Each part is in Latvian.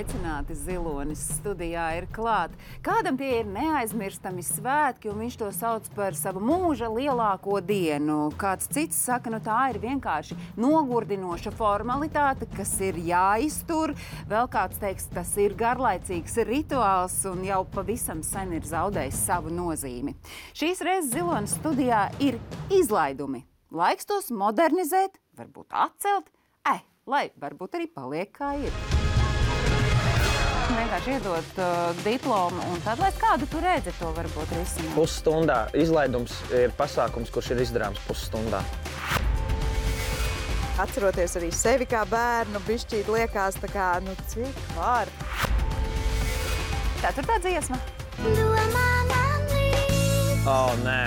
Sveicināti, Zilonis studijā ir klāt. Kādam tie ir neaizmirstami svētki, un viņš to sauc par savu mūža lielāko dienu. Kāds cits saka, tā ir vienkārši nogurdinoša formalitāte, kas ir jāiztur. Vēl kāds teiks, tas ir garlaicīgs rituāls un jau pavisam sen ir zaudējis savu nozīmi. Šīs reizes Zilonis studijā ir izlaidumi. Laiks tos modernizēt, varbūt atcelt, lai varbūt arī paliek kā ir. Vienkārši iedot diplomu un tad, lai kādu tu redzi, to varbūt risināt. Pusstundā. Izlaidums ir pasākums, kurš ir izdarāms pusstundā. Atceroties arī sevi kā bērnu, bišķīt liekas tā kā, cik var. Ceturtā dziesma. Nē.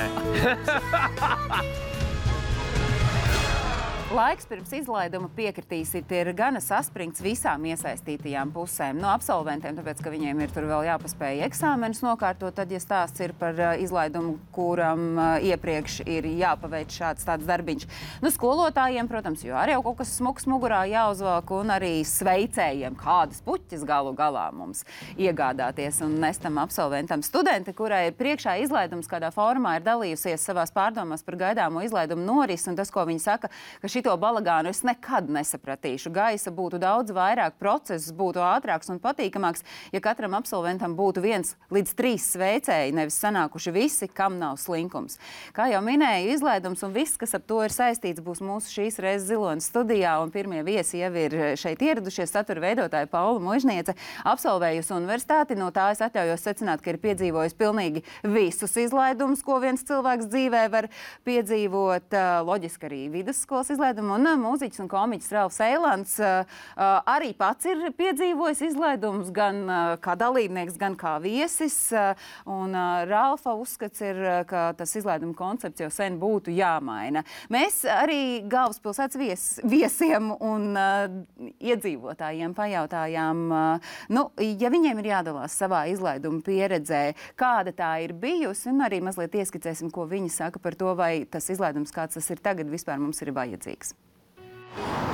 Laiks pirms izlaiduma piekritīsit ir gana saspringts visām iesaistītajām pusēm. No absolventiem, tāpēc, ka viņiem ir tur vēl jāpaspēj eksāmenus nokārtot, tad, ja stāsts ir par izlaidumu, kuram iepriekš ir jāpaveic šāds tāds darbiņš. Skolotājiem, protams, jo arī jau kaut kas smuks mugurā jāuzvelk, un arī sveicējiem kādas puķis galu galā mums iegādāties un nestam absolventam. Studenti, kurai ir priekšā izlaidums, kādā formā ir dalījusies savās pārdomās par gaidāmo izlaidumu norisi, un tas, ko viņi saka, ka šito balagānu es nekad nesapratīšu. Gaisa būtu daudz vairāk, process būtu ātrāks un patīkamāks, ja katram absolventam būtu 1 līdz 3 sveicēji, nevis sanākuši visi, kam nav slinkums. Kā jau minēju, izlaidums un viss, kas ap to ir saistīts, būs mūsu šīs reizes Zilonis studijā, un pirmie viesi jau ir šeit ieradušies. Satura veidotāja Paula Mužniece, absolvējusi universitāti, no tā es atļaujos secināt, ka ir piedzīvojusi pilnīgi visus izlaidumus, ko viens cilvēks dzīvē var piedzīvot, loģiski arī vidusskolas izlaidumu, un mūziķis un komiķis Ralfs Eilants arī pats ir piedzīvojis izlaidumus gan kā dalībnieks, gan kā viesis, un Ralfa uzskats ir, ka tas izlaiduma koncepts jau sen būtu jāmaina. Mēs arī galvaspilsētas viesiem un iedzīvotājiem pajautājām, ja viņiem ir jādalās savā izlaiduma pieredzē, kāda tā ir bijusi, un arī mazliet ieskicēsim, ko viņi saka par to, vai tas izlaidums, kāds tas ir tagad, vispār mums ir vajadzīgs.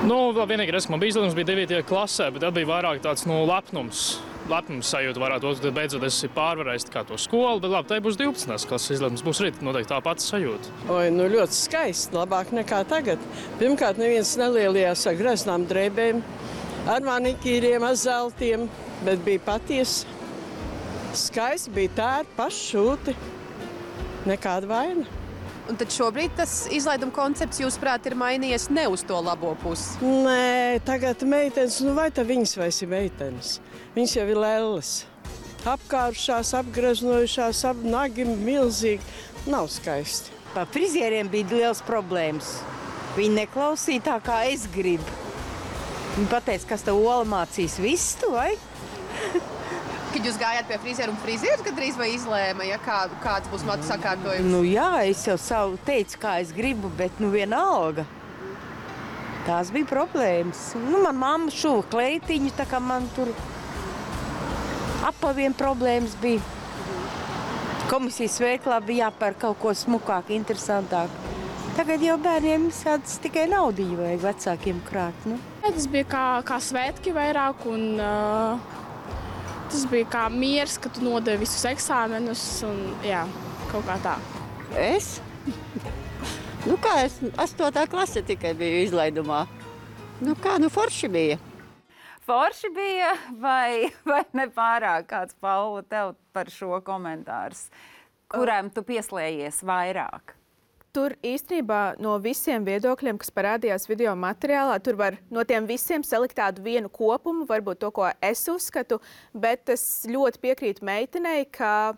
Vēl vienīgi, man bija izlaidums, bija 9. klasē, bet tad bija vairāk tāds lepnums sajūta varētu būt, tad beidzot es pārvarējis kā to skolu, bet labi, tai būs 12. klases izlaidums, būs rīt noteikti tā pati sajūta. Ļoti skaisti, labāk nekā tagad. Pirmkārt, neviens nelielījās ar greznām drēbēm, ar manikīriem, ar zeltiem, bet bija patiesi. Skaisti bija tērpi, paššūti, nekāda vaina. Un tad šobrīd tas izlaiduma koncepts, jūsuprāt, ir mainījies ne uz to labo pusi? Nē, tagad meitenes, vai tā viņas vairs ir meitenes? Viņas jau ir lelles. Apkārušās, apgreznojušās, nagi milzīgi. Nav skaisti. Pa frizieriem bija liels problēmas. Viņi neklausīja tā, kā es gribu. Viņi pateica, kas tev Ola mācīs visu, vai? Kad jūs gājāt pie frizieru un frizieris gadrīz vai izlēma, kāds būs matu sakārtojums? Jā, es jau teicu, kā es gribu, bet vienalga. Tās bija problēmas. Man mamma šuva kleitiņu, tā kā man tur apaviem problēmas bija. Komisijas veiklā bija jāpērk kaut ko smukāk, interesantāk. Tagad jau bērniem sāds tikai naudiņu vajag vecākiem krāt. Tas bija kā svētki vairāk un... Tas bija kā miers, ka tu nodevi visus eksāmenus un, kaut kā tā. Es? Es 8. klase tikai biju izlaidumā. Forši bija. Forši bija vai nepārāk? Kāds, Paula, tev par šo komentārs? Kurām tu pieslējies vairāk? Tur īstenībā no visiem viedokļiem, kas parādījās video materiālā, tur var no tiem visiem salikt tādu vienu kopumu, varbūt to, ko es uzskatu, bet es ļoti piekrītu meitenei, ka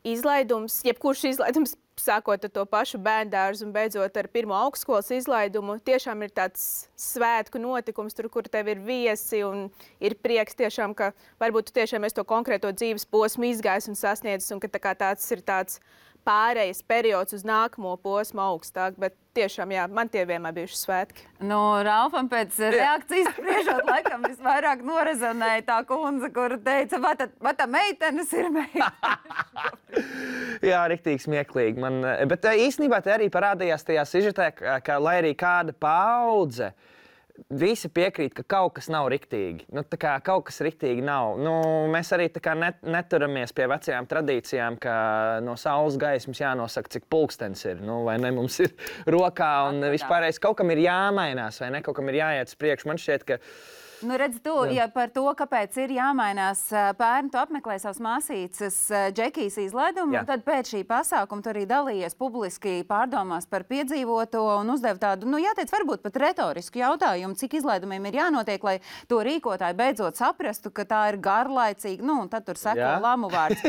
izlaidums, jebkurš izlaidums, sākot ar to pašu bērndārzu un beidzot ar pirmo augstskolas izlaidumu, tiešām ir tāds svētku notikums, tur, kur tev ir viesi un ir prieks tiešām, ka varbūt tu tiešām esi to konkrēto dzīves posmu izgājis un sasniedzis, un ka tāds ir tāds pārejas periods uz nākamo posmu augstāk, bet tiešām, man tie vienmēr bijuši svētki. Ralfam pēc reakcijas spriežot, laikam visvairāk norezonēja tā kundze, kura teica, vai tā meitenes ir meitenes? Jā, riktīgi smieklīgi. Bet īstenībā te arī parādījās tajā sižetē, ka lai arī kāda paudze visi piekrīt, ka kaut kas nav riktīgi. Nu, tā kā kaut kas riktīgi nav. Nu, mēs arī tā kā neturamies pie vecajām tradīcijām, ka no saules gaismas jānosaka, cik pulkstenis ir. Nu, vai ne, mums ir rokā un vispārējais kaut kam ir jāmainās, vai ne, kaut kam ir jāiet uz priekšu. Man šķiet, ka Nu, redz, ja par to, kāpēc ir jāmainās, pērn tu apmeklē savas māsīcas Džekijas izlaidumu, tad pēc šī pasākuma tu arī dalījies publiski pārdomās par piedzīvoto un uzdev tādu, jāteic, varbūt pat retorisku jautājumu, cik izlaidumiem ir jānotiek, lai to rīkotāji beidzot saprastu, ka tā ir garlaicīga, un tad tur seko lamu vārds.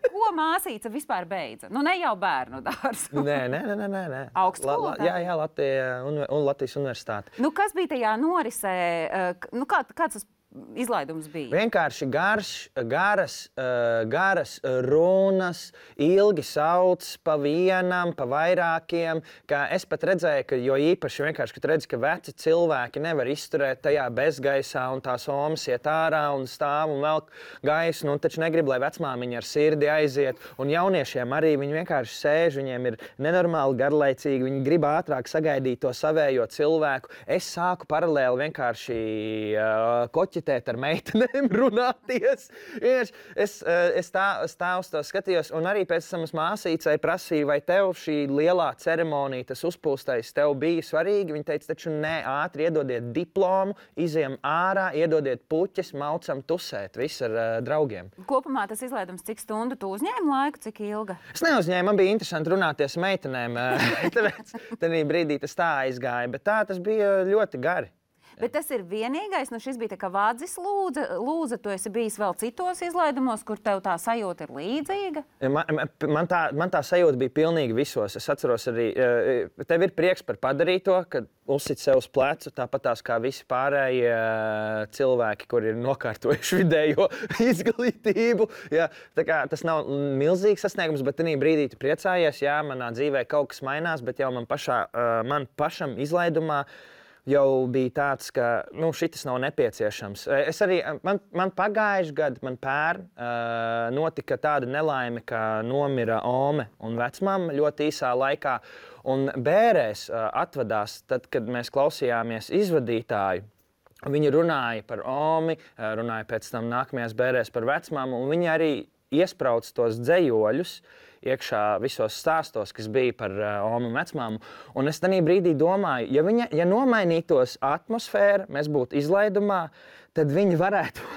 Ko māsīca vispār beidza? Nu, ne jau bērnu dārzu. Nē. Augstskolotāji? Jā, Latvijas universitāte. Nu, kas bija tajā norisē? Kāds tas izlaidums bija? Vienkārši garas runas, ilgi sauc pa vienam, pa vairākiem. Es pat redzēju, ka jo īpaši vienkārši, kad redzi, ka veci cilvēki nevar izturēt tajā bezgaisā un tās omas iet ārā un stāv un velk gaisu, un taču negrib, lai vecmāmiņa ar sirdi aiziet. Un jauniešiem arī viņi vienkārši sēž, viņiem ir nenormāli garlaicīgi, viņi grib ātrāk sagaidīt to savējo cilvēku. Es sāku paralēli vienkārši koķitēt ar meitenēm, runāties. Es tā uz to skatījos, un arī pēc tam māsīcai prasīju, vai tev šī lielā ceremonija, tas uzpūstais, tev bija svarīgi. Viņa teica, taču nē, ātri iedodiet diplomu, izejam ārā, iedodiet puķes, maucam tusēt, viss ar draugiem. Kopumā tas izlaidums, cik stundu tu uzņēmi laiku, cik ilga? Es neuzņēmu, man bija interesanti runāties ar meitenēm, tāpēc tādā brīdī tas tā aizgāja, bet tas bija ļoti gari. Bet tas ir vienīgais, šis bija tā kā Vādzis lūdza, tu esi bijis vēl citos izlaidumos, kur tev tā sajūta ir līdzīga? Man tā sajūta bija pilnīgi visos. Es atceros arī, tev ir prieks par padarīto, kad uzsit sev uz plecu, tāpat tās kā visi pārējie cilvēki, kuri ir nokārtojuši vidējo izglītību. Jā, tā kā tas nav milzīgs sasniegums, bet tajā brīdī tu priecājies, jā, manā dzīvē kaut kas mainās, bet jau man pašam izlaidumā jau bija tāds, ka šitas nav nepieciešams. Es arī, man pagājuši gadu, man pērn notika tāda nelaime, ka nomira ome un vecmama ļoti īsā laikā. Un bērēs atvadās, tad, kad mēs klausījāmies izvadītāju. Viņi runāja par omi, runāja pēc tam nākamajās bērēs par vecmamu, un viņi arī iesprauc tos dzejoļus iekšā visos stāstos, kas bija par omu un vecmāmu. Un es tajā brīdī domāju, ja nomainītos atmosfēra, mēs būtu izlaidumā, tad viņi varētu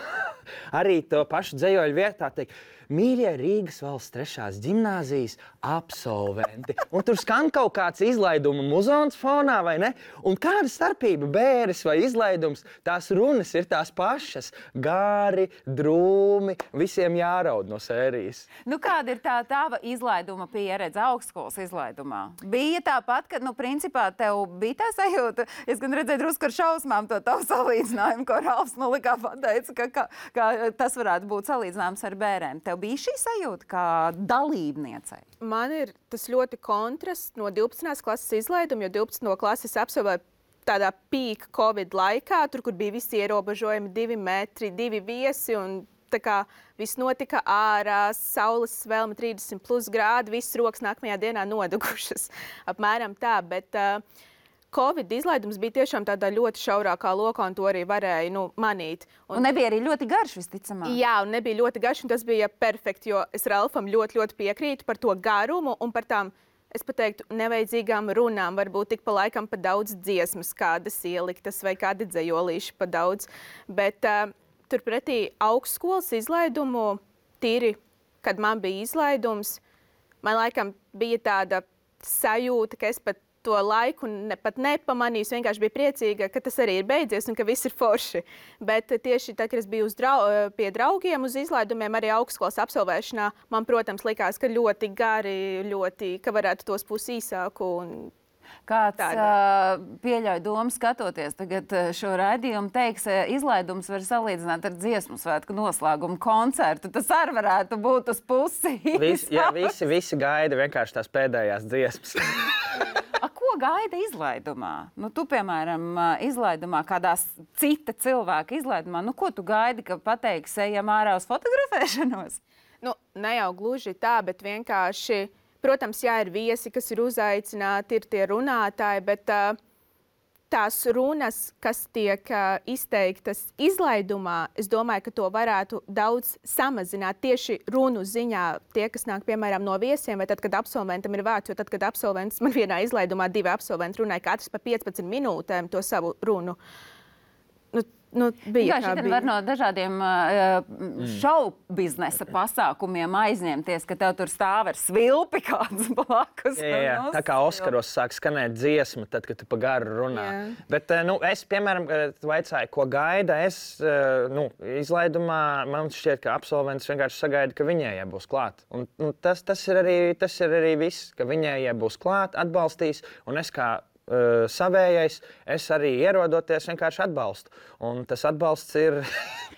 arī to pašu dzejoļu vietā teikt, mīļie Rīgas valsts 3. ģimnāzijas absolventi. Un tur skan kaut kāds izlaiduma muzons fonā, vai ne? Un kāda starpība bēres vai izlaidums? Tās runas ir tās pašas. Gāri, drūmi, visiem jāraud no sērijas. Kāda ir tā tava izlaiduma pieredze augstskolas izlaidumā? Bija tāpat, ka, principā, tev bija tā sajūta, es gan redzēju drusku ar šausmām to tavu salīdzinājumu, ko Ralfs likā pateica, ka tas varētu būt salīdzināms ar bērēm. Tev bija šī sajūta kā dalībniecei? Man ir tas ļoti kontrasts no 12. klases izlaiduma, jo 12. klases absolvēju tādā peak Covid laikā, tur, kur bija visi ierobežojumi 2 metri, 2 viesi, un tā kā viss notika ārā, saules svelme 30+ grādi, visas rokas nākamajā dienā nodegušas. Apmēram tā, bet Covid izlaidums bija tiešām tādā ļoti šaurākā lokā, un to arī varēja manīt. Un nebija arī ļoti garš, visticamāk. Jā, un nebija ļoti garš, un tas bija perfekti, jo es Ralfam ļoti piekrītu par to garumu un par tām, es pateiktu, nevajadzīgām runām. Varbūt tik pa laikam pa daudz dziesmas kādas ieliktas vai kādi dzejolīši pa daudz. Bet turpretī augstskolas izlaidumu tīri, kad man bija izlaidums, man laikam bija tāda sajūta, ka es pat to laiku pat nepamanīju, vienkārši biju priecīga, ka tas arī ir beidzies un ka viss ir forši. Bet tieši tad, kad es biju pie draugiem uz izlaidumiem, arī augstskolas absolvēšanā, man, protams, likās, ka ļoti gari, ka varētu tos īsāku. Kāds pieļauj domu skatoties tagad šo raidījumu, teiks, izlaidums var salīdzināt ar dziesmu svētku noslēgumu koncertu. Tas arī varētu būt uz pusi. Visi gaida vienkārši tās pēdējās dziesmas. Ko gaida izlaidumā? Tu, piemēram, izlaidumā, kādā cita cilvēka izlaidumā, ko tu gaidi, ka pateiks, ejam ārā uz fotografēšanos? Ne jau gluži tā, bet vienkārši, protams, jā, ir viesi, kas ir uzaicināti, ir tie runātāji, bet tās runas, kas tiek izteiktas izlaidumā, es domāju, ka to varētu daudz samazināt tieši runu ziņā. Tie, kas nāk, piemēram, no viesiem, vai tad, kad absolventam ir vārds, jo tad, kad absolvents, man vienā izlaidumā 2 absolventi runāja, katrs pa 15 minūtēm to savu runu. Bija kā bija. Var no dažādiem šou biznesa pasākumiem aizņemties, ka tev tur stāv ar svilpi kāds blakus. Jā, tā kā Oskaros sāk skanēt dziesma, tad, kad tu pa garu runā. Jā. Bet es, piemēram, tu vaicāji, ko gaida, izlaidumā man šķiet, ka absolvents vienkārši sagaida, ka viņējie būs klāt. Un tas ir arī viss, ka viņējie būs klāt, atbalstīs, un es kā savējais, es arī ierodoties vienkārši atbalstu. Un tas atbalsts ir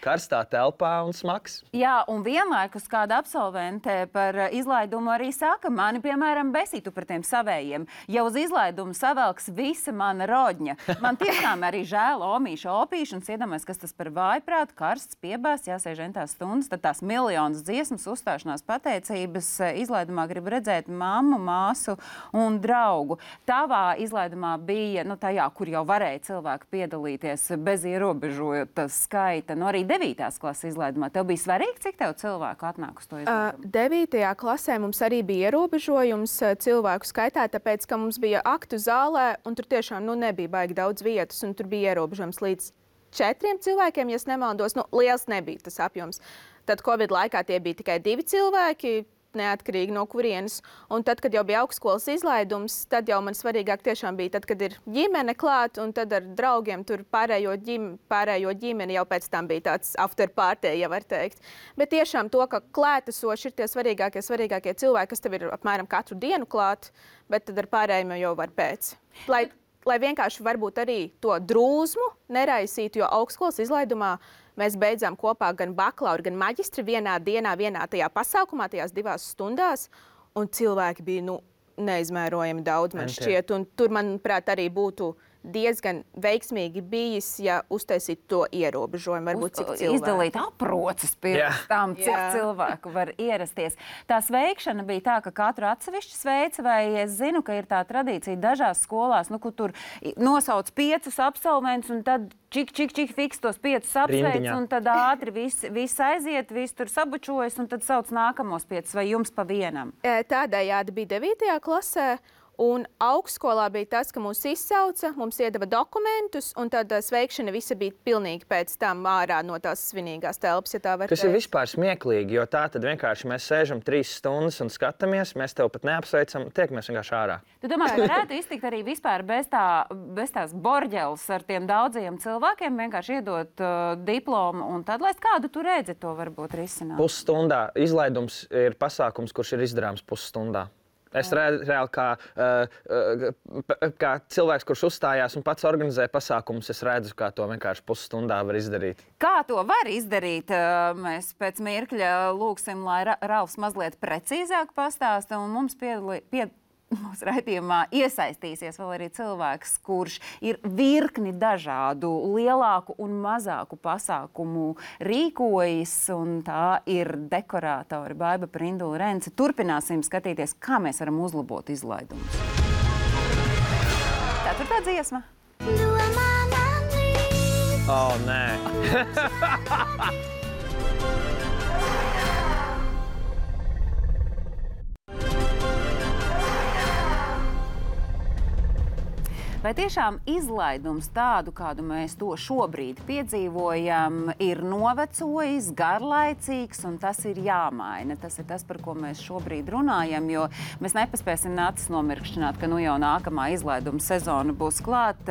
karstā telpā un smags. Jā, un vienlaikus kāda absolvente par izlaidumu arī saka, mani, piemēram, besītu par tiem savējiem. Ja uz izlaidumu savelks visa mana rodņa. Man tiešām arī žēl omīša opīšu un iedomājas, kas tas par vājprātu, karsts, piebāsts, jāsēž entās stundas, tad tās miljonas dziesmas, uzstāšanās pateicības izlaidumā grib redzēt mammu, māsu un draugu. Tavā izlaidumā bija, tajā, kur jau varēja cilvēki piedalīties bez ierobežojot skaita, arī 9. klases izlaidumā. Tev bija svarīgi, cik tev cilvēku atnāk uz to izlaidumu? 9. klasē mums arī bija ierobežojums cilvēku skaitā, tāpēc, ka mums bija aktu zālē, un tur tiešām nebija baigi daudz vietas, un tur bija ierobežojums līdz 4 cilvēkiem, ja es nemaldos. Liels nebija tas apjoms. Tad Covid laikā tie bija tikai 2 cilvēki, neatkarīgi no kurienes. Un tad, kad jau bija augstskolas izlaidums, tad jau man svarīgāk tiešām bija tad, kad ir ģimene klāt, un tad ar draugiem tur pārējo ģimeni jau pēc tam bija tāds after party, ja var teikt. Bet tiešām to, ka klātesoši ir tie svarīgākie cilvēki, kas tev ir apmēram katru dienu klāt, bet tad ar pārējiem jau var pēc. Lai vienkārši varbūt arī to drūzmu neraisītu, jo augstskolas izlaidumā mēs beidzām kopā gan bakalauru, gan maģistri vienā dienā, vienā tajā pasākumā, tajās 2 stundās, un cilvēki bija neizmērojami daudz, man šķiet. Un tur, manuprāt, arī būtu diezgan veiksmīgi bijis, ja uztaisītu to ierobežojumu, varbūt cik cilvēku. Izdalīt aproces pirms tam, cik cilvēku var ierasties. Tā sveikšana bija tā, ka katru atsevišķi sveica, vai es zinu, ka ir tā tradīcija dažās skolās, kur tur nosauc 5 absolventus, un tad čik fiks tos 5 apsveic, un tad ātri viss aiziet, viss tur sabučojas, un tad sauc nākamos 5, vai jums pa vienam? Tādējādi bija 9. klasē. Un augstskolā bija tas, ka mūs izsauca, mums iedeva dokumentus, un tad sveikšana visa bija pilnīgi pēc tam ārā no tās svinīgās telpas, ja tā var teikt. Tas ir vispār smieklīgi, jo tā tad vienkārši mēs sēžam 3 stundas un skatāmies, mēs tev pat neapsveicam, tiekamies vienkārši ārā. Tu domā, ka varētu iztikt arī vispār bez tās borģeles ar tiem daudziem cilvēkiem, vienkārši iedot diplomu, un tad, lai kādu tu redzi, to varbūt risināt? Pusstundā. Izlaidums ir pasākums, kurš ir izdarāms pusstundā. Es reāli kā cilvēks, kurš uzstājās un pats organizē pasākumus, es redzu, kā to vienkārši pusstundā var izdarīt. Kā to var izdarīt? Mēs pēc mirkļa lūgsim, lai Ralfs mazliet precīzāk pastāsta, un mums mūsu raidījumā iesaistīsies vēl arī cilvēks, kurš ir virkni dažādu lielāku un mazāku pasākumu rīkojis, un tā ir dekorātori Baiba Prindula Rence. Turpināsim skatīties, kā mēs varam uzlabot izlaidumus. 4. dziesma. Nē. Vai tiešām izlaidums tādu, kādu mēs to šobrīd piedzīvojam, ir novecojis, garlaicīgs, un tas ir jāmaina? Tas ir tas, par ko mēs šobrīd runājam, jo mēs nepaspēsim acis nomirkšķināt, ka jau nākamā izlaiduma sezona būs klāt.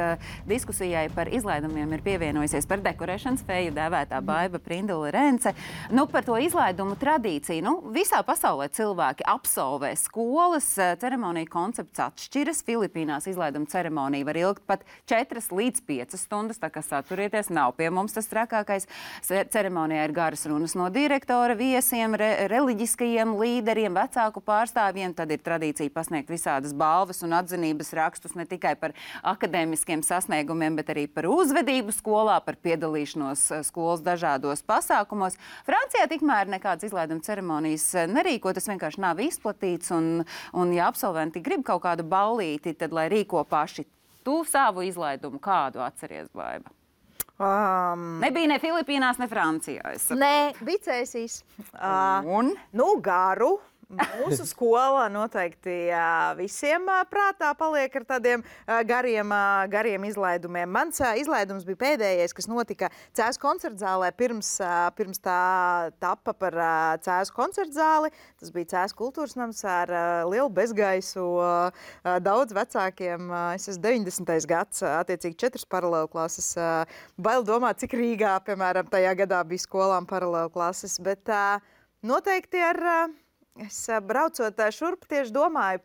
Diskusijai par izlaidumiem ir pievienojusies par dekorēšanas feju dēvētā Baiba Prindula Rence. Par to izlaidumu tradīciju. Visā pasaulē cilvēki absolvē skolas, ceremonija koncepts atšķiras. Filipīnās izlaiduma ceremonija var ilgt pat 4 līdz 5 stundas, tā kā saturieties, nav pie mums tas trakākais. Ceremonijā ir garas runas no direktora, viesiem, reliģiskajiem līderiem, vecāku pārstāvjiem. Tad ir tradīcija pasniegt visādas balvas un atzinības rakstus ne tikai par akadēmiskiem sasniegumiem, bet arī par uzvedību skolā, par piedalīšanos skolas dažādos pasākumos. Francijā tikmēr nekādas izlaiduma ceremonijas nerīko, tas vienkārši nav izplatīts, un ja absolventi grib kaut kādu ballīti, tad lai rīko paši. Tu savu izlaidumu kādu atceries, Baiba? Nebija ne Filipīnās, ne Francijā. Nē, Vicēsīs. Un? Nu, garu. Mūsu skola noteikti visiem prātā paliek ar tādiem gariem izlaidumiem. Mans izlaidums bija pēdējais, kas notika Cēzu koncertzālē pirms tā tapa par Cēzu koncertzāli. Tas bija Cēzu kultūras nams ar lielu bezgaisu, daudz vecākiem. Es esmu 90. gads, attiecīgi 4 paralēlu klases. Bail domāt, cik Rīgā, piemēram, tajā gadā bija skolām paralēlu klases, bet noteikti es braucot šurp tieši domāju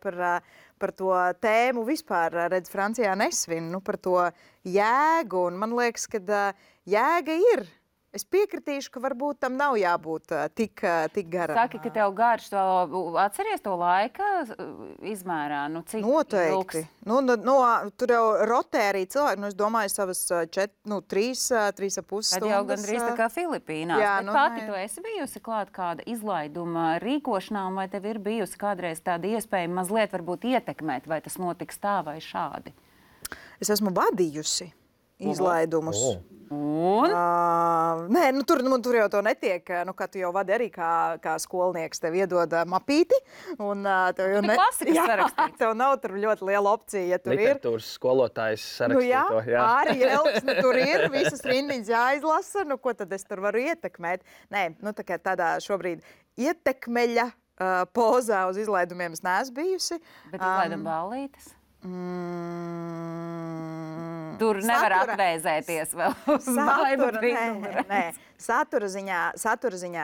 par to tēmu vispār, redz, Francijā nesvin, par to jēgu, un man liekas, ka jēga ir. Es piekritīšu, ka varbūt tam nav jābūt tik garam. Saki, ka tev garš, atceries to laika izmērā? Cik noteikti. Tur jau rotē arī cilvēki, es domāju, savas 3,5 stundas. Tad jau gandrīz tā kā Filipīnās. Jā, bet pati tu esi bijusi klāt kāda izlaiduma rīkošanā, vai tev ir bijusi kādreiz tāda iespēja mazliet varbūt ietekmēt, vai tas notiks tā vai šādi? Es esmu vadījusi izlaidumus. Un? Nē, tur jau to netiek. Kā tu jau vadi arī kā skolnieks, tev iedod mapīti. Un tev jau klasikas sarakstīts. Tev nav tur ļoti liela opcija, ja tur literatūras skolotājs sarakstīto. Arī Elks, tur ir visas rindiņas jāizlasa. Ko tad es tur varu ietekmēt? Nē, tādā šobrīd ietekmeļa pozā uz izlaidumiem es neesmu bijusi. Bet izlaiduma ballītes? Tur nevar atvēzēties vēl uz Baibu brīnumu. Nē, satura ziņā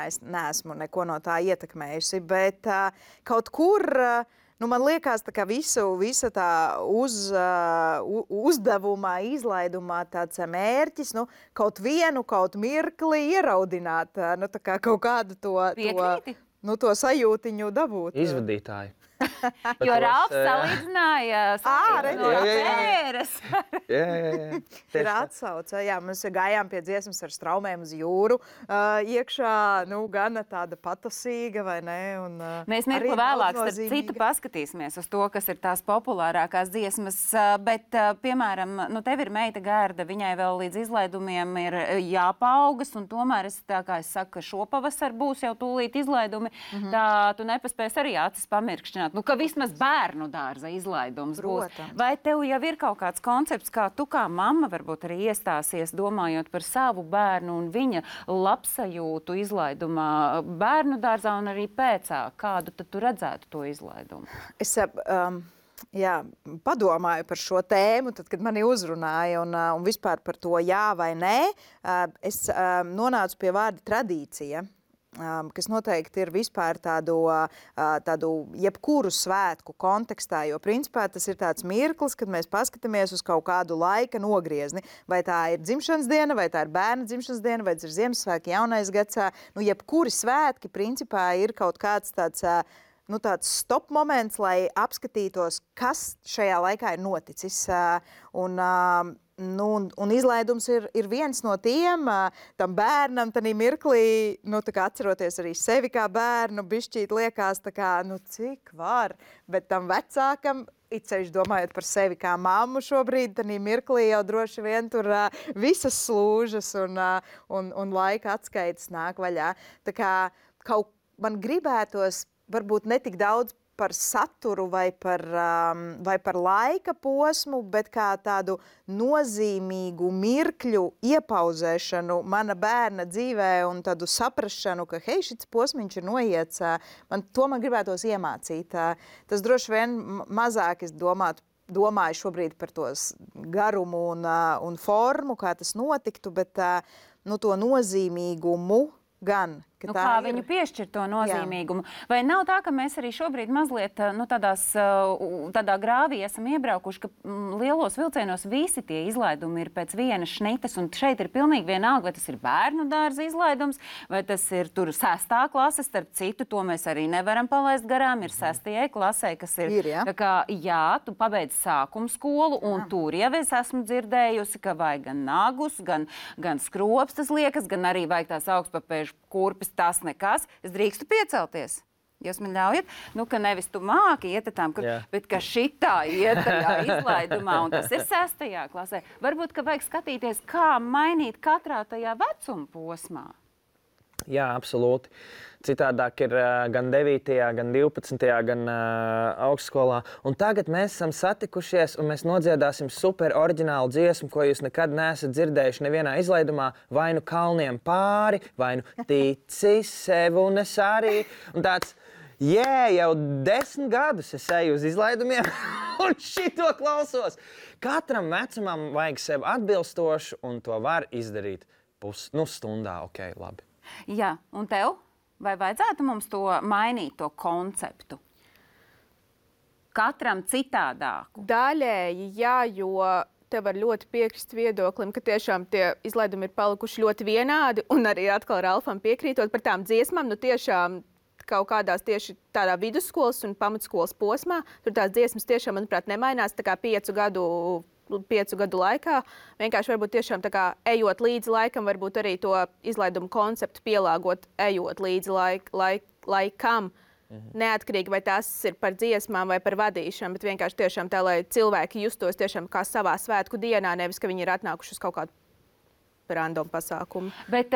es neesmu neko no tā ietekmējusi, bet kaut kur, man liekas, ka visa tā uzdevumā, izlaidumā tāds mērķis, kaut mirkli ieraudināt, kaut kādu to sajūtiņu dabūt. Izvadītāji. Jo Ralfs salīdzināja no tēres. Ir atsauce. Jā, mēs gājām pie dziesmas ar straumēm uz jūru. Iekšā, gana tāda patasīga, vai ne? Mēs mirkli vēlāk starp citu paskatīsimies uz to, kas ir tās populārākās dziesmas. Bet, piemēram, tev ir meita Gerda, viņai vēl līdz izlaidumiem ir jāpaaugas, un tomēr tā kā es saku, ka šopavasar būs jau tūlīt izlaidumi, tā tu nepaspēs arī acis pamirkšķināt. Ka vismaz bērnu dārza izlaidums būs. Vai tev jau ir kaut kāds koncepts, kā tu kā mamma varbūt arī iestāsies, domājot par savu bērnu un viņa labsajūtu izlaidumā bērnu dārzā un arī pēcā? Kādu tad tu redzētu to izlaidumu? Es padomāju par šo tēmu, tad, kad mani uzrunāja un vispār par to jā vai nē. Es nonācu pie vārda tradīcija, kas noteikti ir vispār tādu jebkuru svētku kontekstā, jo principā tas ir tāds mirklis, kad mēs paskatāmies uz kaut kādu laika nogriezni. Vai tā ir dzimšanas diena, vai tā ir bērna dzimšanas diena, vai tas ir Ziemassvētki, jaunais gads. Jebkuri svētki principā ir kaut kāds tāds stop moments, lai apskatītos, kas šajā laikā ir noticis. Un izlaidums ir viens no tiem, tam bērnam, tanī mirklī, atceroties arī sevi kā bērnu, bišķīt liekas, cik var, bet tam vecākam, it sevišķi domājot par sevi kā mammu šobrīd, tanī mirklī jau droši vien tur visas slūžas un laika atskaites nāk vaļā. Tā kā man gribētos varbūt netik daudz par saturu vai par laika posmu, bet kā tādu nozīmīgu mirkļu iepauzēšanu mana bērna dzīvē un tādu saprašanu, ka hei, šis posmiņš ir noiets, man gribētos iemācīt. Tas droši vien mazāk es domāju šobrīd par tos garumu un formu, kā tas notiktu, bet to nozīmīgumu gan. Kā viņu piešķir to nozīmīgumu. Jā. Vai nav tā, ka mēs arī šobrīd mazliet tādā grāvī esam iebraukuši, ka lielos vilcienos visi tie izlaidumi ir pēc vienas šnitas, un šeit ir pilnīgi vienalga, vai tas ir bērnu dārza izlaidums, vai tas ir tur 6. klase, starp citu, to mēs arī nevaram palaist garām, ir 6. klasē, kas ir tā kā, tu pabeidz sākumu skolu, un tur jau es esmu dzirdējusi, ka vajag gan nagus, gan skropstas liekas, gan arī vajag tās augstpapēžu kurpes, tas nekas. Es drīkstu piecelties. Jūs man ļaujat, ka nevis tu māki iet tam, bet ka šitā iet tajā izlaidumā, un tas ir 6. klasē. Varbūt, ka vajag skatīties, kā mainīt katrā tajā vecuma posmā. Jā, absolūti. Citādāk ir gan 9., gan 12., gan augstskolā. Un tagad mēs esam satikušies un mēs nodziedāsim super oriģinālu dziesmu, ko jūs nekad neesat dzirdējuši nevienā izlaidumā. Vai nu kalniem pāri, vai nu tici sev un es arī. Un tāds, jau 10 gadus es eju uz izlaidumiem un šito klausos. Katram vecumam vajag sev atbilstošu un to var izdarīt stundā. Ok, labi. Jā, un tev? Vai vajadzētu mums to mainīt, to konceptu? Katram citādāku? Daļēji, jā, jo te var ļoti piekrist viedoklim, ka tiešām tie izlaidumi ir palikuši ļoti vienādi, un arī atkal Ralfam piekrītot par tām dziesmām, tiešām kaut kādās tieši tādā vidusskolas un pamatskolas posmā, tur tās dziesmas tiešām, manuprāt, nemainās, tā kā 5 gadu laikā. Vienkārši varbūt tiešām tā kā ejot līdzi laikam, varbūt arī to izlaidumu konceptu pielāgot, ejot līdzi laikam. Neatkarīgi, vai tas ir par dziesmām vai par vadīšanu, bet vienkārši tiešām tā, lai cilvēki justos tiešām kā savā svētku dienā, nevis, ka viņi ir atnākuši uz kaut kādu random pasākumu. Bet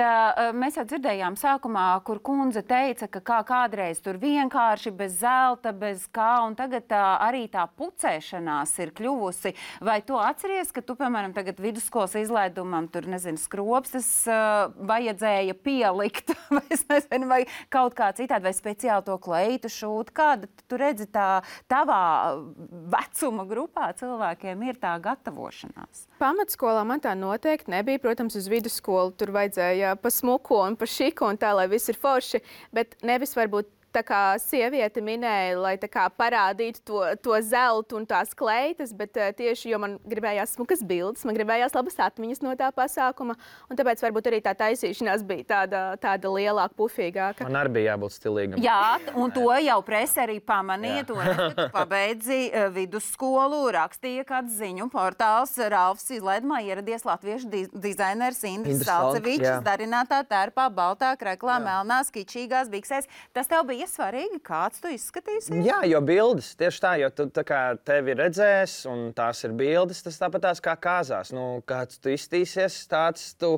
mēs jau dzirdējām sākumā, kur kundze teica, ka kādreiz tur vienkārši bez zelta, bez kā, un tagad arī tā pucēšanās ir kļuvusi. Vai tu atceries, ka tu, piemēram, tagad vidusskolas izlaidumam tur, nezinu, skropstas vajadzēja pielikt, vai es nezinu, vai kaut kā citādi, vai speciāli to kleitu šūt? Kāda tu redzi tā tavā vecuma grupā cilvēkiem ir tā gatavošanās? Pamatskolā man tā noteikti nebija. Protams, uz vidusskolu tur vajadzēja pa smuko un pa šiku un tā, lai viss ir forši, bet nevis varbūt tā kā sieviete minēja, lai tā kā parādītu to zeltu un tās kleitas, bet tieši, jo man gribējās smukas bildes, man gribējās labas atmiņas no tā pasākuma, un tāpēc varbūt arī tā taisīšanās bija tāda lielāka, pufīgāka. Man arī bija jābūt stilīgam. Jā, un to jau presa arī pamanīja, to, kad tu pabeidzi vidusskolu, rakstīja kāds ziņu portāls, Ralfs izlaidumā ieradies latviešu dizainers Indris Salcevičs, darinātā tērpā, baltā kreklā, melnās, kičīgās biksēs. Tas tev bija svarīgi, kāds tu izskatīsies? Jā, jo bildes, tieši tā, jo tu tā kā tevi redzēs, un tās ir bildes, tas tāpat tās kā kāzās. Kāds tu iztīsies, tāds tu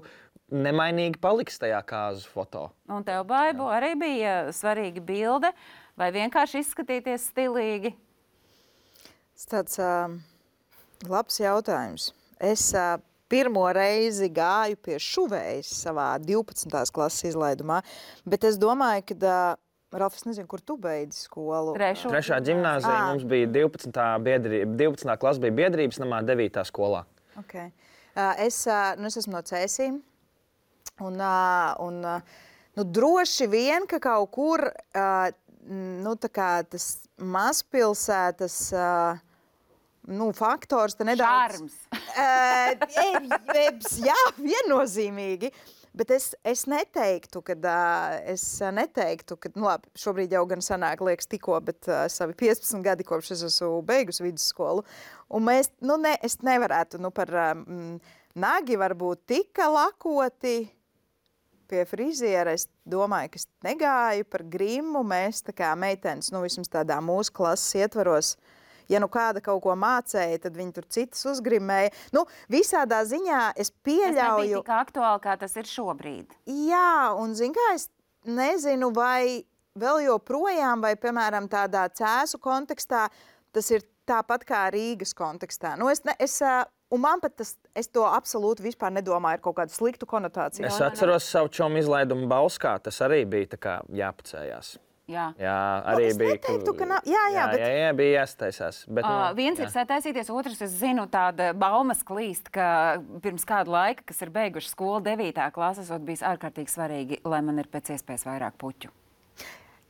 nemainīgi paliks tajā kāzu foto. Un tev, Baibo, arī bija svarīga bilde, vai vienkārši izskatīties stilīgi? Tas tāds labs jautājums. Es pirmo reizi gāju pie šuvējas savā 12. klases izlaidumā, bet es domāju, ka Ralf, es nezinu, kur tu beidzi skolu. Trešā ģimnāzija mums bija 12. klasa bija biedrības namā 9. skolā. Okay. Es esmu no Cēsīm. Un droši vien, ka kaut kur tā kā tas mazpilsētas faktors te nedaudz... Šarms. Jā, viennozīmīgi. Bet es neteiktu, ka labi, šobrīd jau gan sanāk, liekas tikko, bet savi 15 gadi, kopš es esmu beigusi vidusskolu. Un es nevarētu par nagi varbūt tika lakoti pie friziera. Es domāju, ka es negāju par grimu. Mēs tā kā meitenes, vismaz tādā mūsu klases ietvaros, ja kāda kaut ko mācēja, tad viņi tur citas uzgrimēja. Visādā ziņā es pieļauju... Tas nebija tik aktuāli, kā tas ir šobrīd. Jā, un kā es nezinu, vai vēl joprojām, vai, piemēram, tādā Cēsu kontekstā, tas ir tāpat kā Rīgas kontekstā. Un man pat es to absolūti vispār nedomāju ar kaut kādu sliktu konotāciju. Es atceros savu čomu izlaidumu Bauskā, tas arī bija tā kā jāpacējās. Jā, arī bija. Neteiktu, ka nav. Jā, bija jāstaisās. Bet, viens ir sataisīties, otrs, es zinu, tāda baumas klīst, ka pirms kādu laiku, kas ir beiguši skolu 9. klases, bijis ārkārtīgi svarīgi, lai man ir pēc iespējas vairāk puķu.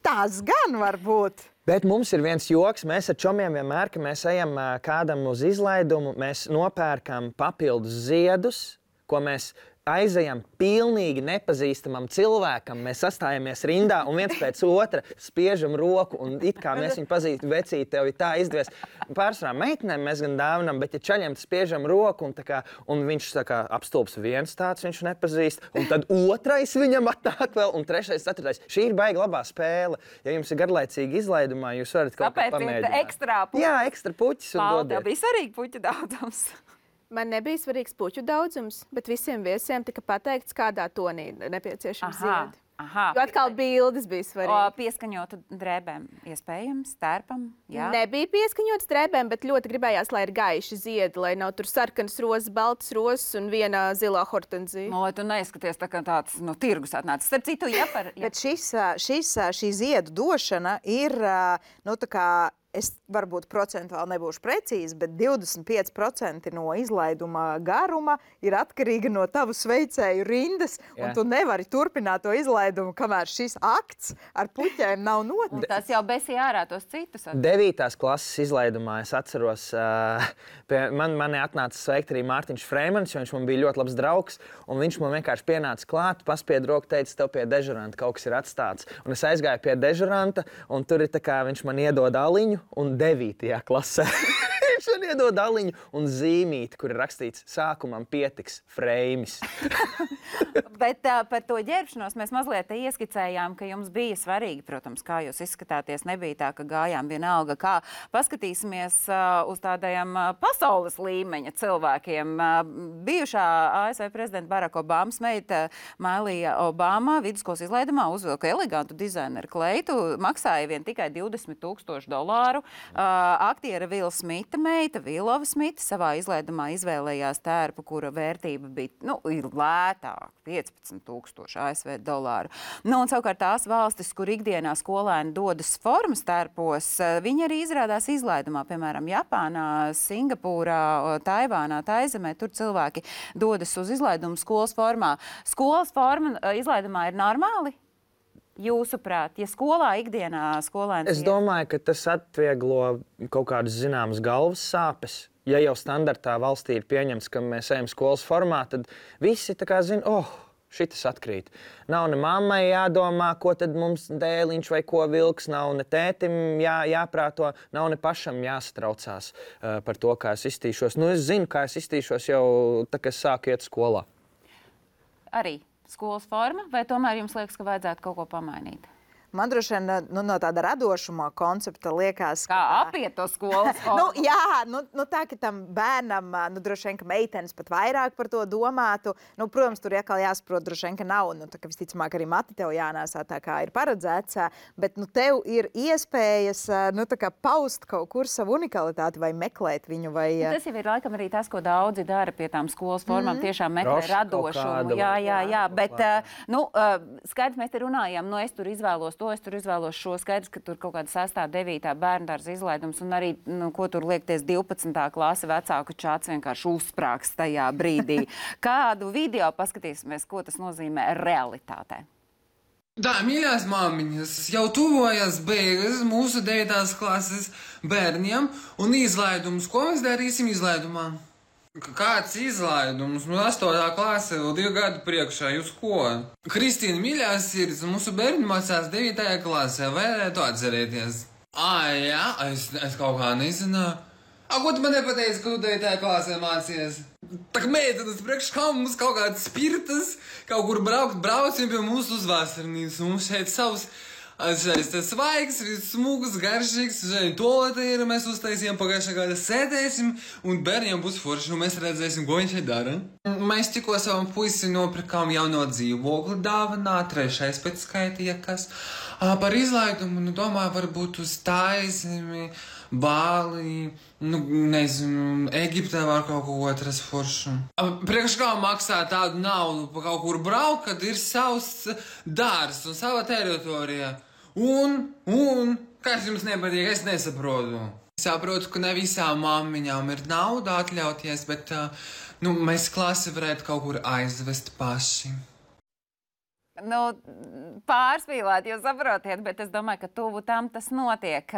Tas gan var būt. Bet mums ir viens joks. Mēs ar čomiem vienmēr, ka mēs ejam kādam uz izlaidumu, mēs nopērkam papildus ziedus, ko mēs aizejam pilnīgi nepazīstamam cilvēkam, mēs sastājamies rindā un viens pēc otra spiežam roku un it kā mēs viņu pazīstam, vecīt, tev ir tā izdevies. Pārsvarā meitenēm mēs gan dāvinam, bet ja čaļiem spiežam roku un viņš tā kā apstulps viens tāds, viņš nepazīst, un tad otrais viņam atnāk vēl, un trešais, ceturtais. Šī ir baigi labā spēle. Ja jums ir garlaicīgi izlaidumā, jūs varat kaut kā pamēģināt. Tāpēc ir ekstra puķis. Jā, ekstra puķis un dodiet. Tev bija svarīgi puķu daudzums. Man nebija svarīgs puķu daudzums, bet visiem viesiem tika pateikts, kādā tonī nepieciešams ziedi. Jo atkal bildes bija svarīgi. Pieskaņotu drēbēm iespējams, tērpam? Jā. Nebija pieskaņotas drēbēm, bet ļoti gribējās, lai ir gaiši ziedi, lai nav tur sarkanas rozes, baltas rozes un viena zilā hortenzija. Lai tu neizskaties tā kā tāds tirgus atnācis. Starp citu, Bet šī ziedu došana ir, tā kā, es varbūt procentuāli nebūšu precīzi, bet 25% no izlaiduma garuma ir atkarīga no tavu sveicēju rindas, un tu nevari turpināt to izlaidumu, kamēr šis akts ar puķēm nav noticis. Tas jau besīja ārā tos citus. 9. klases izlaidumā es atceros, mani atnāca sveikt arī Mārtiņš Freimans, jo viņš man bija ļoti labs draugs, un viņš man vienkārši pienāca klāt, paspied roku, teica, tev pie dežuranta kaut kas ir atstāts. Un es aizgāju pie dežuranta, un tur ir tā kā viņš man iedod aliņu, un 9. klasē viņš man iedod aliņu un zīmīti, kur ir rakstīts sākumam pietiks Freimis. Bet par to ģērbšanos mēs mazliet ieskicējām, ka jums bija svarīgi, protams, kā jūs izskatāties. Nebija tā, ka gājām vienalga kā. Paskatīsimies uz tādajiem pasaules līmeņa cilvēkiem. Bijušā ASV prezidenta Baraka Obamas meita Mailija Obama vidusskolas izlaidumā uzvilka elegantu dizaineru kleitu, maksāja vien tikai $20,000. Aktiera Vila Smita meita, Vilova Smita, savā izlaidumā izvēlējās tērpu, kura vērtība bija lētāka, $15,000 ASV. Un savukārt tās valstis, kur ikdienā skolēni dodas formas tērpos, viņi arī izrādās izlaidumā, piemēram, Japānā, Singapūrā, Taivānā, Taizemē, tur cilvēki dodas uz izlaidumu skolas formā. Skolas forma izlaidumā ir normāli? Jūsuprāt, ja skolā ikdienā skolēns... Es domāju, ka tas atvieglo kaut kādas zināmas galvas sāpes. Ja jau standartā valstī ir pieņemts, ka mēs ejam skolas formā, tad visi tā kā zina, šitas atkrīt. Nav ne mammai jādomā, ko tad mums dēliņš vai ko vilks, nav ne tētim jāprāto, nav ne pašam jāsatraucās par to, kā es iztīšos. Es zinu, kā es iztīšos jau tā, kad sāku iet skolā. Arī skolas forma, vai tomēr jums liekas, ka vajadzētu kaut ko pamainīt? Man droši vien no tāda radošuma koncepta liekas, kā apiet to skolas formu. Tā, ka tam bērnam, droši vien, ka meitenes pat vairāk par to domātu. Protams, tur atkal jāsaprot, droši vien, ka nav, tā kā visticamāk arī mati tev jānēsā tā, kā ir paredzēts, bet tev ir iespējas, tā kā paust kaut kur savu unikalitāti vai meklēt viņu, vai... Tas jau ir laikam arī tas, ko daudzi dara pie tām skolas formām, tiešām meklē radošumu. Jā, bet, skaidrs, mēs te runājam, es tur izvēlos to, es tur izvēlos šo. Skaidrs, ka tur kaut kāda 6. 9. bērndārza izlaidums un arī, ko tur liekties 12. klase vecāku čāts vienkārši uzsprāgs tajā brīdī. Kādu video paskatīsimies, ko tas nozīmē realitātē? Tā, mīļās māmiņas, jau tuvojas beigas mūsu 9. klases bērniem un izlaidums. Ko mēs darīsim izlaidumā? Kāds izlaidums? 8. klase, vēl 2 gadu priekšā, jūs ko? Kristīna, mīļās sirds, mūsu bērni mācās 9. klasē, varētu atcerēties? Jā, es kaut kā nezināju. Ko tu man nepateici, ka tu 9. klasē mācies? Tā kā meitenes priekš kā mums kaut kāds spirtas, kaut kur braucam pie mūsu uz vasarnīcu, mums šeit savs... Tas svaigs, smūgs, garšīgs, tolete ir, mēs uztaisījām pagājušā gada, sēdēsim, un bērniem būs forši, un mēs redzēsim, ko viņš šeit dara. Mēs tikko savam puisi nopirkām jauno dzīvokli dāvanā, 3. pēc skaita, ja kas. Par izlaidumu, domāju, varbūt uz Taizemi, Bāli, nezinu, Egiptē var kaut ko otras foršu. Priekš kā maksā tādu naudu pa kaut kur braukt, kad ir savs dārs un sava teritorija. Un, kas jums nepatīk, es nesaprotu. Es saprotu, ka ne visām māmiņām ir nauda atļauties, bet mēs klasi varētu kaut kur aizvest paši. Pārspīlēt, jūs saprotiet, bet es domāju, ka tuvu tam tas notiek.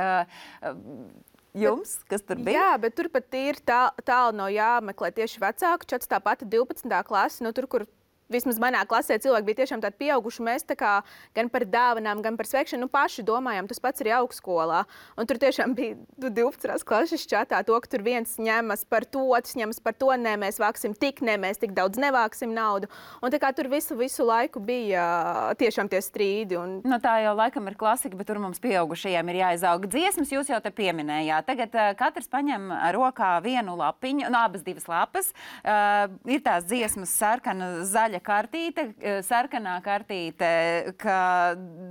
Jums, kas tur bija? Jā, bet tur pat ir tālu no jāmeklē tieši vecāku čats, tā pati 12. klase, tur, kur vismaz manā klasē cilvēki bija tiešām tādi pieauguši. Mēs tā kā gan par dāvanām, gan par sveikšanu paši domājām. Tas pats arī augstskolā. Un tur tiešām bija 12. klases čatā to, ka tur viens ņemas par to, otrs ņemas par to. Nē, mēs vāksim tik, nē, mēs tik daudz nevāksim naudu. Un tā kā tur visu laiku bija tiešām tie strīdi. Un... Nu, tā jau laikam ir klasika, bet tur mums pieaugušajiem ir jāizaug dziesmas. Jūs jau te pieminējāt. Tagad katrs paņem rokā vienu lapiņu, abas divas lapas. Ir tās dziesmas sarkana, zaļa kartīte, sarkanā kartīte, ka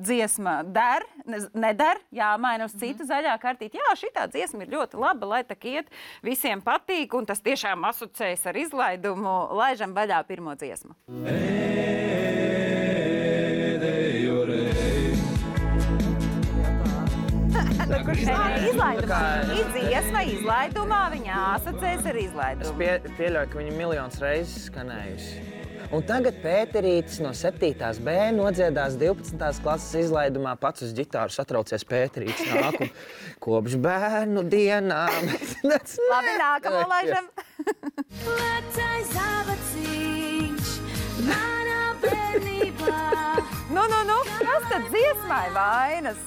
dziesma der, neder, jāmaina uz citu zaļā kartīti. Jā, šitā dziesma ir ļoti laba, lai tak iet, visiem patīk, un tas tiešām asociējas ar izlaidumu. Laižam vaļā pirmo dziesmu. Dziesma izlaidumā, viņa asociējas ar izlaidumu. Es pieļauju, ka viņa miljonus reizes skanējusi. Un tagad Pēterītis no 7. B nodziedās 12. klases izlaidumā, pats uz ģitāru satraucies Pēterītis nāk un kopš bērnu dienām. Labi, nākamo laižam. Vecais zābaciņš manā bērnībā. Nu, kas tad dziesmai vainas?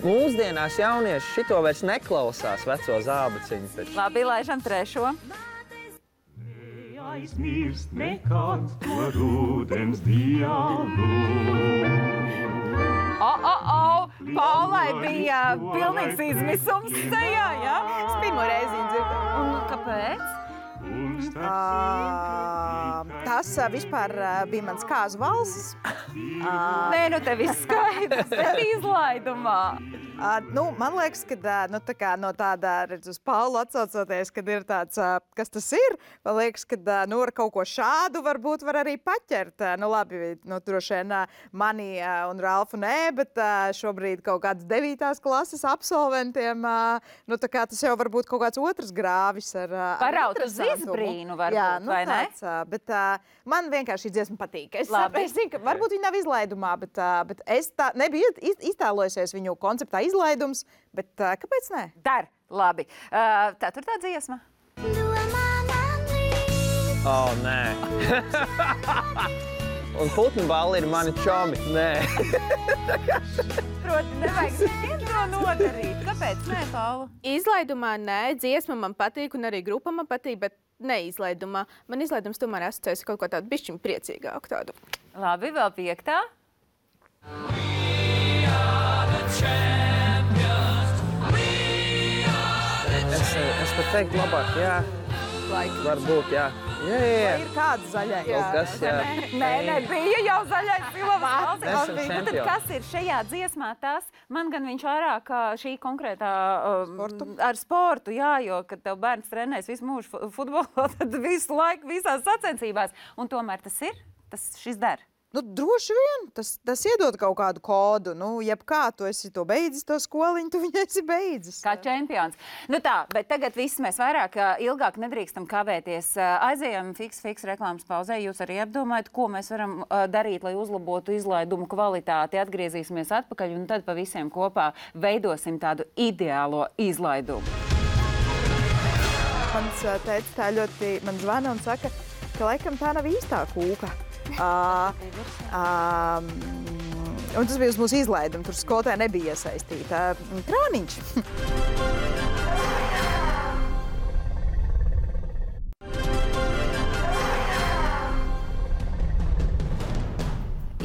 Mūsdienās jaunieši šito vairs neklausās veco zābaciņu. Labi, laižam trešo. Aizmirst nekad to rudens dienu. Paulai bija pilnīgs izmisums sejā, jā? Es pirmo reizi dzirdēju. Un kāpēc? Tas vispār bija mans kāzu valsis. Nē, nu te viss skaidrs, bet izlaidumā. Man liekas, ka no tāda, redz, uz Paulu atsaucoties, kad ir tāds, kas tas ir, man liekas, ka ar kaut ko šādu varbūt var arī paķert. Labi, droši vien mani un Ralfu nē, bet šobrīd kaut kāds 9. klases absolventiem, tas jau varbūt kaut kāds otrs grāvis ar Paraut uz izbrīnu varbūt, vai ne? Bet man vienkārši dziesma patīk. Es zinu, ka varbūt viņa nav izlaidumā, bet es nebiju iztēlojusies viņu konceptā izlaidums, bet kāpēc ne? Dar, labi. Ceturtā dziesma. Nē. Un putnu balli ir mani čomi. Nē. Proti, nevajag to nodarīt. Kāpēc nē, Paula? Izlaidumā nē, dziesma man patīk un arī grupa man patīk, bet neizlaidumā. Man izlaidums tomēr asociējas kaut ko tādu bišķiņu priecīgāku tādu. Labi, vēl 5. Es pat teiktu labāk, jā. Varbūt, jā. Jā. Ir kāds zaļais. Kas, jā. Nē, bija jau zaļais silavas. Esam Tad kas ir šajā dziesmā tas? Man gan viņš vairāk šī konkrētā ar sportu, jā, jo, kad tev bērns trenēs visu mūžu futbolā, tad visu laiku visās sacensībās. Un tomēr tas ir, šis der. Droši vien, tas iedod kaut kādu kodu. Jebkā tu esi to beidzis, to skoliņu, tu viņu esi beidzis. Kā čempions. Bet tagad viss mēs vairāk, ilgāk nedrīkstam kavēties. Aizējam fiks reklāmas pauzē. Jūs arī apdomājat, ko mēs varam darīt, lai uzlabotu izlaidumu kvalitāti. Atgriezīsimies atpakaļ un tad pa visiem kopā veidosim tādu ideālo izlaidumu. Mans tētis tā ļoti man zvana un saka, ka laikam tā nav īstā kūka. Un tas bija uz mūsu izlaidumu. Tur skolotāja nebija iesaistīta. Krāniņš.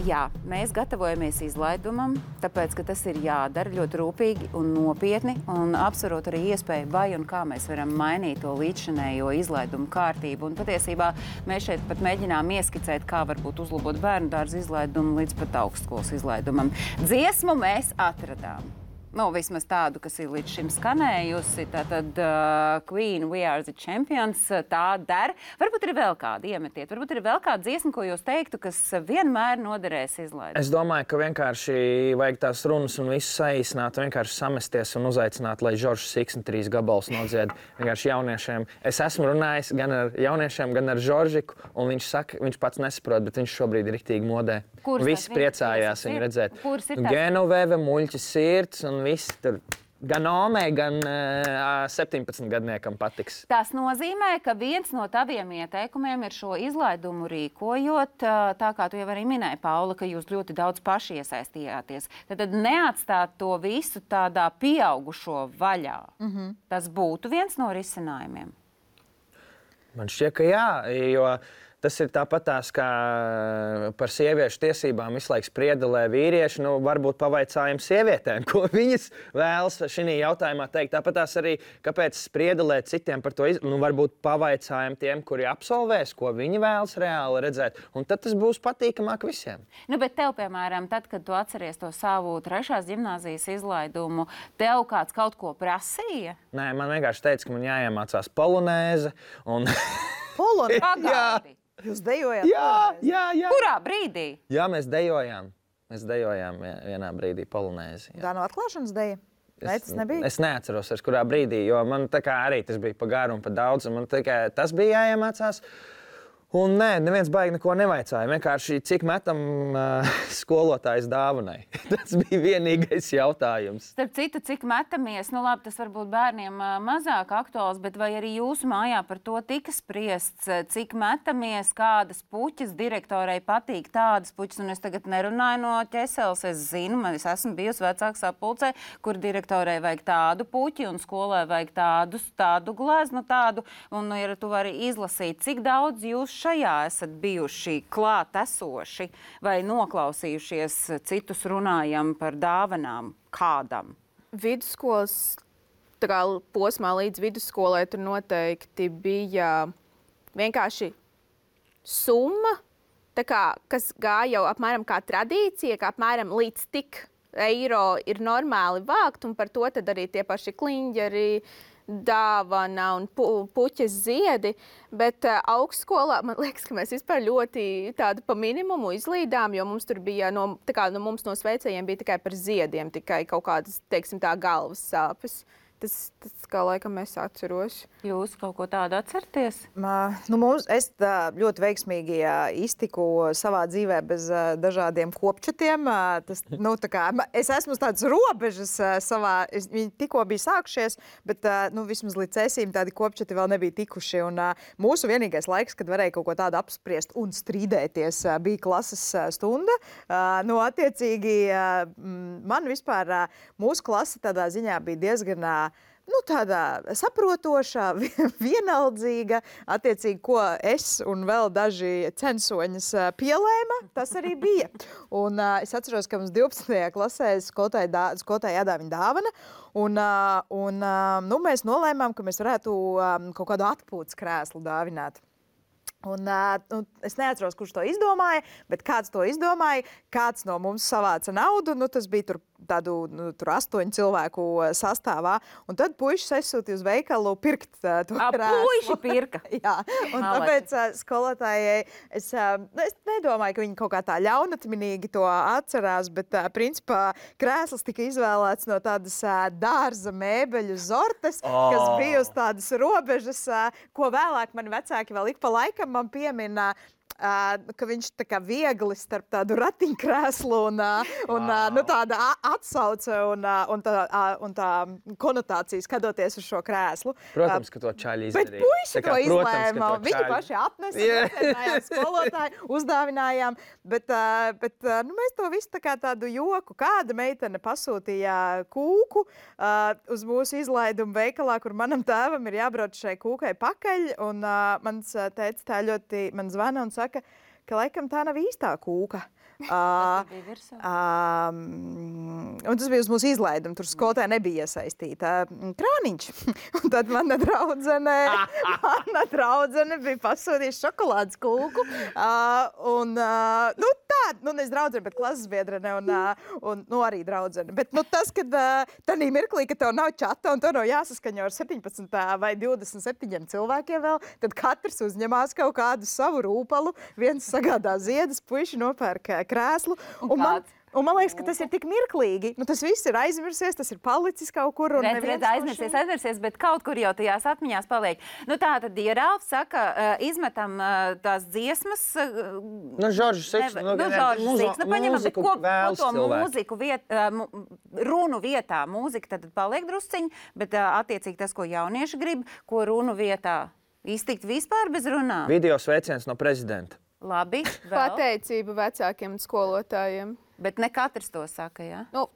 Jā, mēs gatavojamies izlaidumam, tāpēc, ka tas ir jādara ļoti rūpīgi un nopietni un apsverot arī iespēju, vai un kā mēs varam mainīt to līdzšanējo izlaidumu kārtību. Un patiesībā mēs šeit pat mēģinām ieskicēt, kā varbūt uzlabot bērnu dārza izlaidumu līdz pat augstskolas izlaidumam. Dziesmu mēs atradām. Vismaz tādu, kas ir līdz šim skanējusi. Tātad Queen, We Are the Champions, tā der. Varbūt ir vēl kāda iemetiet. Varbūt ir vēl kāda dziesma, ko jūs teiktu, kas vienmēr noderēs izlaidumam. Es domāju, ka vienkārši vajag tās runas un visu saīsināt, vienkārši samesties un uzaicināt, lai Žoržs Siksni 3 gabalus nodzied vienkārši jauniešiem. Es esmu runājis gan ar jauniešiem, gan ar Žoržiku, un viņš saka, viņš pats nesaprot, bet viņš šobrīd ir riktīgi modē. Visi priecājās viņu redzēt. Genoveve, muļķis sirds un viss tur gan Omei, gan 17-gadniekam patiks. Tas nozīmē, ka viens no taviem ieteikumiem ir šo izlaidumu rīkojot, tā kā tu jau arī minēji, Paula, ka jūs ļoti daudz paši iesaistījāties. Tad neatstāt to visu tādā pieaugušo vaļā. Tas būtu viens no risinājumiem. Man šķiet, ka jā, jo tas ir tāpatās, kā par sieviešu tiesībām visu laiku spriedelē vīrieši. Nu, varbūt pavaicājam sievietēm, ko viņas vēlas šī jautājumā teikt. Tāpatās arī, kāpēc spriedelēt citiem par to, varbūt pavaicājam tiem, kuri absolvēs, ko viņi vēlas reāli redzēt. Un tad tas būs patīkamāk visiem. Nu, bet tev, piemēram, tad, kad tu atceries to savu 3. gimnāzijas izlaidumu, tev kāds kaut ko prasīja? Nē, man vienkārši teica, ka man jāiemācās polonēze. Un... Pagaidi! Jūs dejojāt? Jā. Kurā brīdī? Jā, mēs dejojām. Mēs dejojām vienā brīdī polonēzi. Tā no atklāšanas deja? Nē, tas nebija? Es neatceros, kurā brīdī, jo man tā kā arī tas bija pa garu un pa daudz, un man tikai tas bija jāiemācās. Un nē, neviens baigi neko nevaicāja. Vienkārši cik metam skolotājs dāvanai. Tas bija vienīgais jautājums. Starp citu, cik metamies, nu labi, tas varbūt bērniem mazāk aktuāls, bet vai arī jūsu mājā par to tika spriests, cik metamies, kādas puķas direktorai patīk tādas puķas, un es tagad nerunāju no ķeseles, es zinu, es esmu bijusi vecāks sapulcē, kur direktorai vajag tādu puķi un skolai vajag tādu gleznu tādu, un ja tu vari izlasīt, cik daudz jūs šajā esat bijuši klāt esoši vai noklausījušies citus runājam par dāvanām kādam? Vidusskolas posmā līdz vidusskolai tur noteikti bija vienkārši summa, kas gāja jau apmēram kā tradīcija, ka apmēram līdz tik eiro ir normāli vākt, un par to tad arī tie paši kliņģeri, dāvana un puķes ziedi, bet augstskolā, man liekas, ka mēs vispār ļoti tādu pa minimumu izlīdām, jo mums tur bija, mums no sveicējiem bija tikai par ziediem, tikai kaut kādas, teiksim tā, galvas sāpes. Tas kā laikam es atceros. Jūs kaut ko tādu atcerties? Es ļoti veiksmīgi iztiku savā dzīvē bez dažādiem kopčatiem. Es esmu tādas robežas savā, viņi tikko bija sākušies, bet vismaz līdz esīm tādi kopčati vēl nebija tikuši. Un mūsu vienīgais laiks, kad varēja kaut ko tādu apspriest un strīdēties, bija klases stunda. Attiecīgi, man vispār mūsu klase tādā ziņā bija diezgan tāda saprotoša, vienaldzīga, attiecīgi, ko es un vēl daži censoņas pielēma, tas arī bija. Un es atceros, ka mums 12. klasē skolotāja jādāvina dāvana, un mēs nolēmām, ka mēs varētu kaut kādu atpūtas krēslu dāvināt. Un, es neatceros, kurš to izdomāja, bet kāds to izdomāja, kāds no mums savāca naudu, tas bija tur 8 cilvēku sastāvā, un tad puišas aizsūtīja uz veikalu pirkt to krēslu. Puiši pirka? Jā, un tāpēc skolotājai, es nedomāju, ka viņi kaut kā tā ļaunatminīgi to atcerās, bet principā krēsls tika izvēlēts no tādas dārza mēbeļu zortes, kas bija uz tādas robežas, ko vēlāk mani vecāki vēl ik pa laikam man piemina, ka viņš tā kā viegli starp tādu ratiņkrēslu un tāda atsauce un tā konotācija skatoties uz šo krēslu. Protams, ka to čaļi izdarīja. Bet puiši to izlēma. Viņi paši atnesa, skolotāji, uzdāvinājām. Bet mēs to visu tādu joku. Kāda meitene pasūtīja kūku uz mūsu izlaidumu veikalā, kur manam tēvam ir jābrauc šai kūkai pakaļ. Un mans tētis tā ļoti man zvana un saka, ka laikam tā nav īstā kūka. Un tas bija uz mūsu izlaidumu. Tur skolotāja nebija iesaistīta. Krāniņš. Un tad mana draudzene bija pasūtījusi šokolādes kūku. Nevis draudzene, bet klases biedrene un arī draudzene. Bet tas, kad tanī mirklī, ka tev nav čata un tev nav jāsaskaņo ar 17 vai 27 cilvēkiem vēl, tad katrs uzņemās kaut kādu savu rūpalu, viens sagādā ziedus, puiši nopērk krēslu. Un Un man liekas, ka tas ir tik mirklīgi. Nu, tas viss ir aizmirsies, tas ir palicis kaut kur. Aizmirsies, bet kaut kur jau tajās atmiņās paliek. Nu, tā tad, ja Ralfs saka, izmetam tās dziesmas... Žoržs Siks. Paņemam, bet ko to mūziku runu vietā? Mūzika tad paliek drusciņi, bet attiecīgi tas, ko jaunieši grib, ko runu vietā iztikt vispār bez runām. Video sveiciens no prezidenta. Labi, vēl. Pateicība vecākiem un skolotājiem. Bet ne katrs to saka, jā? Nu,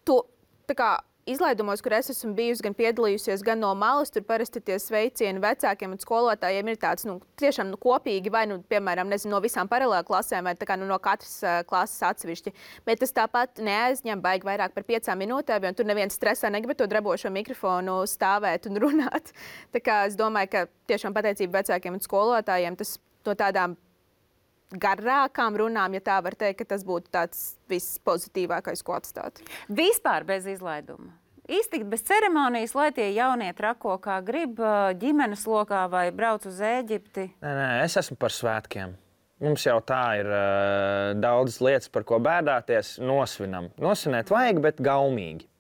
tā kā izlaidumos, kur es esmu bijusi gan piedalījusies, gan no malas, tur parasti tie sveicieni vecākiem un skolotājiem ir tāds, tiešām kopīgi, vai, piemēram, no visām paralēlu klasēm, vai tā kā no katras klases atsevišķi. Bet tas tāpat neaizņem baigi vairāk par 5 minūtēm, jo tur neviens stresā negrib to drebošo mikrofonu stāvēt un runāt. Tā kā es domāju, ka tiešām pateicība vecākiem un skolotājiem, tas no tādām garākām runām, ja tā var teikt, ka tas būtu tāds vispozitīvākais, ko atstāt. Vispār bez izlaiduma. Iztikt bez ceremonijas, lai tie jaunie trako, kā grib, ģimenes lokā vai brauc uz Ēģipti. Nē, es esmu par svētkiem. Mums jau tā ir daudzas lietas, par ko bēdāties, nosvinam. Nosvinēt vajag, bet gaumīgi.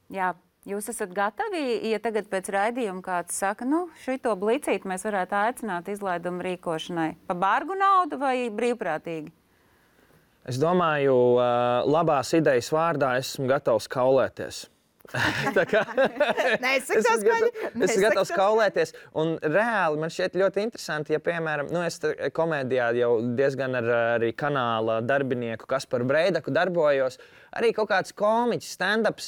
Jā. Jūs esat gatavi, ja tagad pēc raidījuma kāds saka, šito blicīti mēs varētu aicināt izlaidumu rīkošanai pa bargu naudu vai brīvprātīgi? Es domāju, labās idejas vārdā esmu gatavs kaulēties. Es esmu gatavs kaulēties. Un reāli man šķiet ļoti interesanti, ja, piemēram, es komēdijā jau diezgan ar arī kanāla darbinieku Kasparu Breidaku darbojos. Arī kaut kāds komiķis, stand-ups,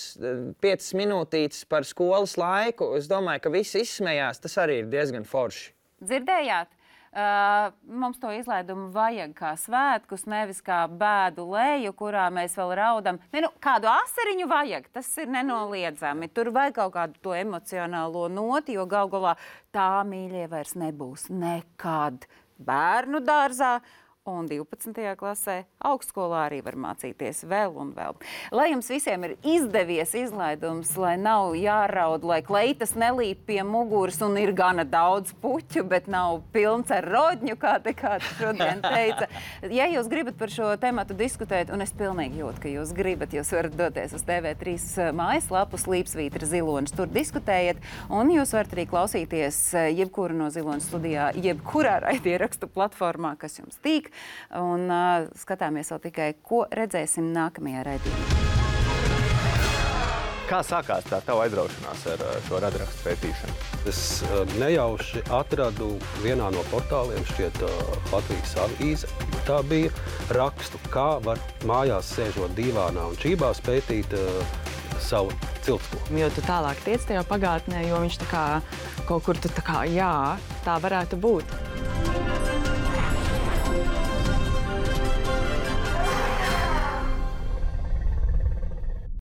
5 minūtītes par skolas laiku. Es domāju, ka visi izsmējās. Tas arī ir diezgan forši. Dzirdējāt? Mums to izlaidumu vajag kā svētkus, nevis kā bēdu leju, kurā mēs vēl raudam. Kādu asariņu vajag, tas ir nenoliedzami. Tur vajag kaut kādu to emocionālo noti, jo gal galā tā mīļie vairs nebūs nekad bērnu dārzā. Un 12. klasē augstskolā arī var mācīties vēl un vēl. Lai jums visiem ir izdevies izlaidums, lai nav jāraud, lai kleitas nelīp pie muguras un ir gana daudz puķu, bet nav pilns ar rodņu, kā te kāds šodien teica. Ja jūs gribat par šo tematu diskutēt, un es pilnīgi jūtu, ka jūs gribat, jūs varat doties uz TV3 mājaslapu Slīpsvītra Zilonis, tur diskutējiet, un jūs varat arī klausīties jebkuru no Zilonis studijā, jebkurā raidierakstu platformā, kas jums tīk. Un skatāmies vēl tikai, ko redzēsim nākamajā raidījumā. Kā sākās tā tava aizraušanās ar šo radrakstu pētīšanu? Es nejauši atradu vienā no portāliem, šķiet Latvijas avīze. Tā bija rakstu, kā var mājās sēžot dīvānā un čībās pētīt savu ciltsko. Jo tu tālāk tiec tajā pagātnē, jo viņš tā kā kaut kur tu tā kā, jā, tā varētu būt.